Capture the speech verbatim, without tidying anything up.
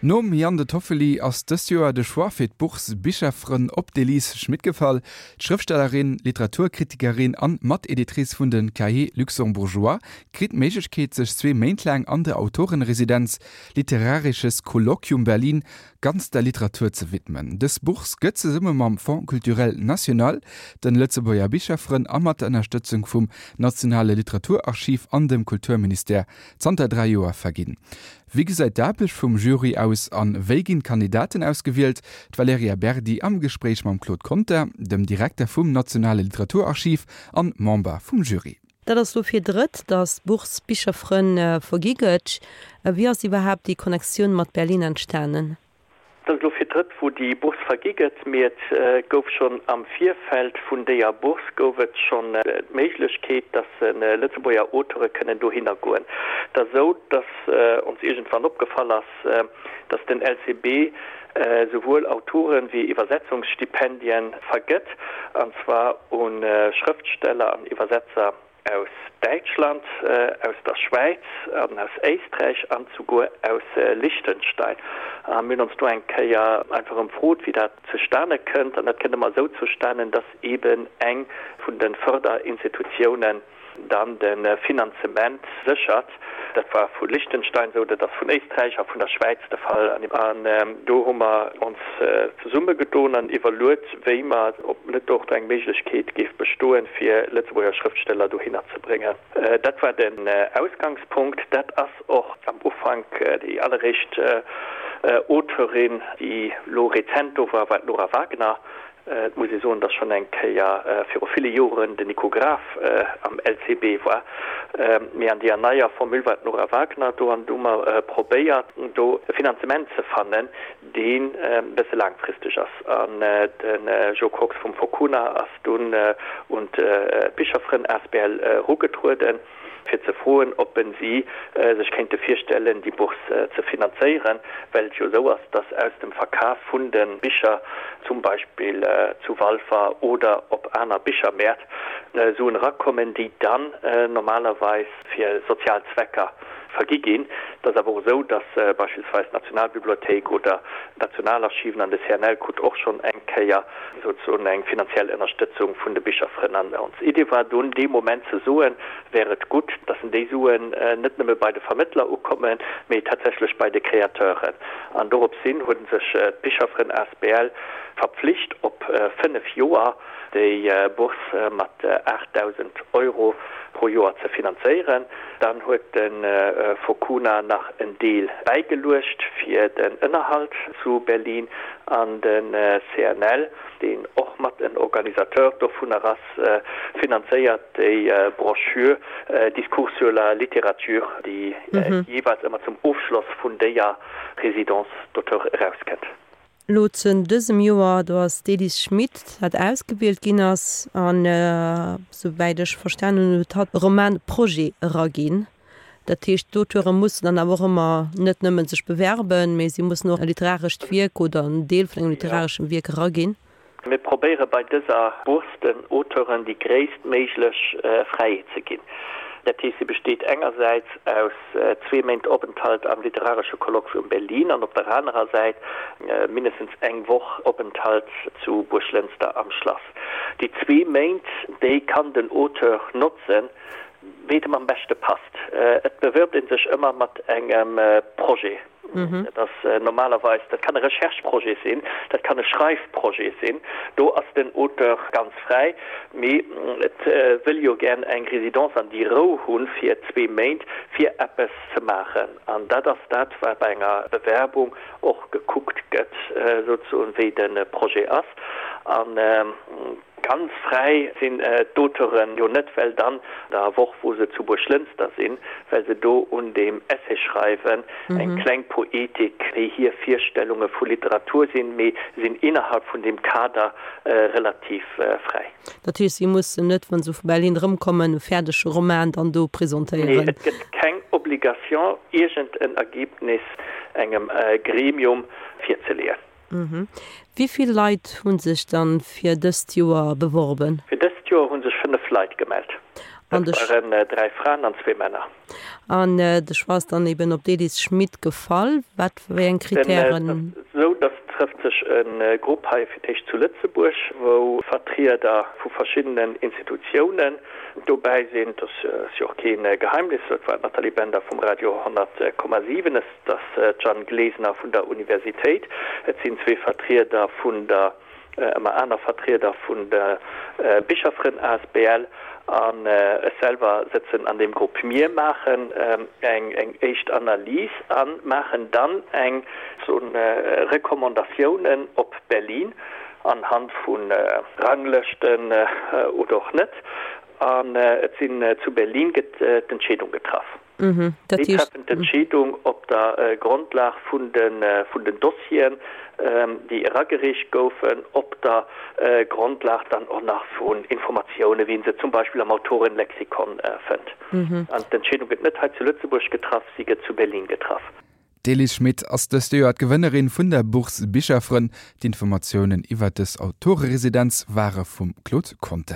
Nom Jan De Toffoli ass dëst Joer de Choix fir d'Bourse Bicherfrënn op d'Elise Schmit gefall. D'Schrëftstellerin, Literaturkritikerin an Mateditrice vun de Cahiers Luxembourgeois kritt d'Méiglechkeet sech zwee Méint laang an der Autorenresidenz Literarisches Kolloquium Berlin ganz der Literatur ze widmen. Dës Bourse gëtt zesumme mam Fonds culturel national, de Lëtzebuerger Bicherfrënn a mat der Ënnerstëtzung vum Nationale Literaturarchiv an dem Kulturministère zanter dräi Joer verginn. Wéi gesäit d'Aarbecht vum Jury aus an wéi ginn d'Kandidaten ausgewielt? D'Valerija Berdi am Gespréich mam Claude Conter, dem Direkter vum Nationale Literaturarchiv an Member vum Jury. Dat ass lo fir d'drëtt, datt d'Bourse Bicherfrënn vergi gëtt. Wéi ass iwwerhaapt déi Connectioun mat Berlin entstanen? Et ass elo fir d'drëtt, wou déi Bourse vergi gëtt, mee et gouf schonn am Virfeld vun déier Bourse gouf et schonn d'Méiglechkeet, dass Lëtzebuerger Auteure kënnen dohinner goen. Et ass esou, dass ons iergendwann opgefall ass, dass den L C B souwuel Autoren wéi Iwwersetzungsstipendien vergëtt, an zwar u Schrëftsteller an Iwwersetzer aus Däitschland, aus der Schwäiz an aus Éisträich an souguer aus Liechtenstein. A mir hunn ons do eng Kéier einfach ëmfrot, wéi dat zustane kënnt. An dat kënnt ëmmer esou zustanen, dass eeben eng vun de Förderinstitutiounen dann de Finanzement séchert. Dat war vu Liechtenstein esou, dat ass vun Éisträich a vun der Schwäiz de Fall. An do hu mer ons zesummegedoen an iwwerluet, wéi mer, ob net och do eng Méiglechkeet géif bestoen, fir Lëtzebuerger Schrëftsteller dohinner ze bréngen. Dat war den Ausgangspunkt. Dat ass och am Ufank déi alleréischt Auteurin, déi elo rezent do war, war d'Nora Wagner. Et muss ee soen, datt schonn eng Kéier viru ville Joren den Nico Graf am L C B war, mee an deeër neier Formule war d'Nora Wagner do an do hu mer probéiert, do e Finanzement ze fannen, deen e bësse laangfristeg ass. An de Jo Kox vum Focuna ass dunn un d'Bicherfrënn asbl erugetrueden, fir ze froen, ob si sech kéinte virstellen, déi Bourse ze finanzéieren, well et jo esou ass, dass aus dem Verkaf vun de Bicher, zum Beispill zu Walfer oder op aner Bichermäert, Suen erakommen, déi dann normalerweis fir sozial Zwecker vergi ginn. Et ass awer och esou, dass beispillsweis d'Nationalbibliothéik oder d'Nationalarchiven an de C N L krut och schonn eng Kéier souzesoen eng finanziell Ënnerstëtzung vun de Bicherfrënn. An ons Idee war dunn dee Moment ze soen, wär et gutt, dass déi Suen net nëmme bei de Vermëttler ukommen, mee tatsächlech bei de Créateuren. An doropshin hu sech d'Bicherfrënn asbl verpflicht, op fënnef Joer déi Bourse mat aachtdausend Euro pro Joer ze finanzéieren. Dann huet de Focuna nach en Deel bäigeluecht fir den Ënnerhalt zu Berlin an de C N L, deen och mat en Organisateur dovunner ass, finanzéiert déi Broschür Discours sur la littérature, déi jeeweils ëmmer zum Ofschloss vun déier Résidence d'auteur erauskënnt. Lo zu dësem Joer, do ass d'Elise Schmit, dat ausgewielt ginn ass, an souwäit ech verstanen hunn, huet hatt e Roman-Projet eraginn. Dat heescht, d'Auteure mussen dann awer och ëmmer net nëmmen sech bewerben, mee si mussen och e literarescht Wierk oder en Deel vun engem literareschem Wierk eraginn. Mir probéiere bei dëser Bourse den Auteuren déi gréisstméiglech Fräiheet ze ginn. Dat heescht, se besteet engersäits aus zwee Méint Openthalt am Literaresche Kolloquium Berlin an op der anerer Säit mindestens eng Woch Openthalt zu Buerglënster am Schlass. Déi zwee Méint, déi kann den Auteur notzen, wéi et em am beschte passt. Et bewirbt ee sech ëmmer mat engem Projet. Dat ass normalerweis, dat kann e Rechercheprojet sinn, dat kann e Schreifprojet sinn, do ass den Auteur ganz fräi, mee et wëll jo gär eng Résidence an déi Rou hunn fir zwee Méint fir eppes ze maachen. An dat ass dat, wat bei enger Bewerbung och gekuckt gëtt, souzesoen, wéi de Projet ass. An ganz fräi sinn d'Auteuren jo net, well dann der Woch, wou se zu Buerglënster sinn, well se do un deem Essay schreiwen, eng kleng Poetik, wéi hir Virstellunge vu Literatur sinn, mee sinn innerhalb vun deem Kader relativ fräi. Dat heescht, si mussen net, wa se vu Berlin erëmkommen, e fäerdege Roman dann do Nee, presentéieren? et gëtt keng Obligation, iergend en Ergebnis engem Gremium virzeleeën. Wéi vill Leit hu sech dann fir dëst Joer beworben? Fir dëst Joer hu sech fënnef Leit gemellt. An de waren dräi Fraen an zwee Männer. An de Choix ass dann eben op d'Elise Schmit gefall. Wat wéi eng Kritären? Esou, dass trëfft sech e Grupp hei fir d'éischt zu Lëtzebuerg, wou Vertrieder vu verschiddenen Institutiounen dobäi sinn. Dat ass jo och kee Geheimnis, dat war d'Nathalie Bender vum Radio honnert Komma siwen, et ass d'Jeanne Glesener vun der Universitéit, et sinn zwee Vertrieder vun der, ëmmer aner Vertrieder vun der Bicherfrënn asbl an ech selwer sëtzen an deem Grupp. Mir maachen eng eng éischt Analys a maachen dann eng soen Recommandatiounen op Berlin anhand vu Ranglëschten oder och net. An et sinn zu Berlin gëtt d'Entscheedung getraff. Déi treffen d'Entscheedung op der Grondlag vun den Dossieren, déi eragereecht goufen, op der Grondlag dann och nach vun Informatiounen, wéi een se zum Beispill am Autorenlexikon fënnt. An d'Entscheedung gëtt net hei zu Lëtzebuerg getraff, si gëtt zu Berlin getraff. D'Elise Schmit ass dëst Joer d'Gewënnerin vun der Bourse Bicherfrënn. D'Informatiounen iwwer dës Autoreresidenz ware vum Claude Conter.